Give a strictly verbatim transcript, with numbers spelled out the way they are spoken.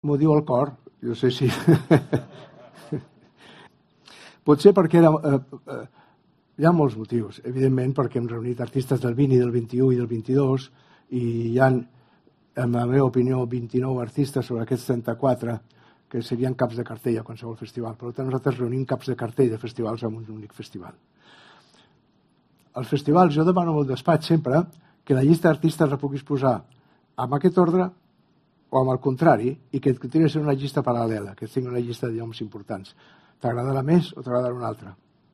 M'ho diu el cor, jo sé si... Potser perquè era... Eh, eh, hi ha molts motius, evidentment, perquè hem reunit artistes del vint i del vint-i-u i del vint-i-dos, i hi ha, en la meva opinió, vint-i-nou artistes sobre aquests trenta-quatre que serien caps de cartell a qualsevol festival. Per tant, nosaltres reunim caps de cartell de festivals en un únic festival. Als festivals jo demano al despatx sempre que la llista d'artistes la puguis posar amb aquest ordre o amb el contrari, i que et continuï sent una llista paral·lela, que tingui una llista de noms importants. T'agradarà més o t'agradarà una altra?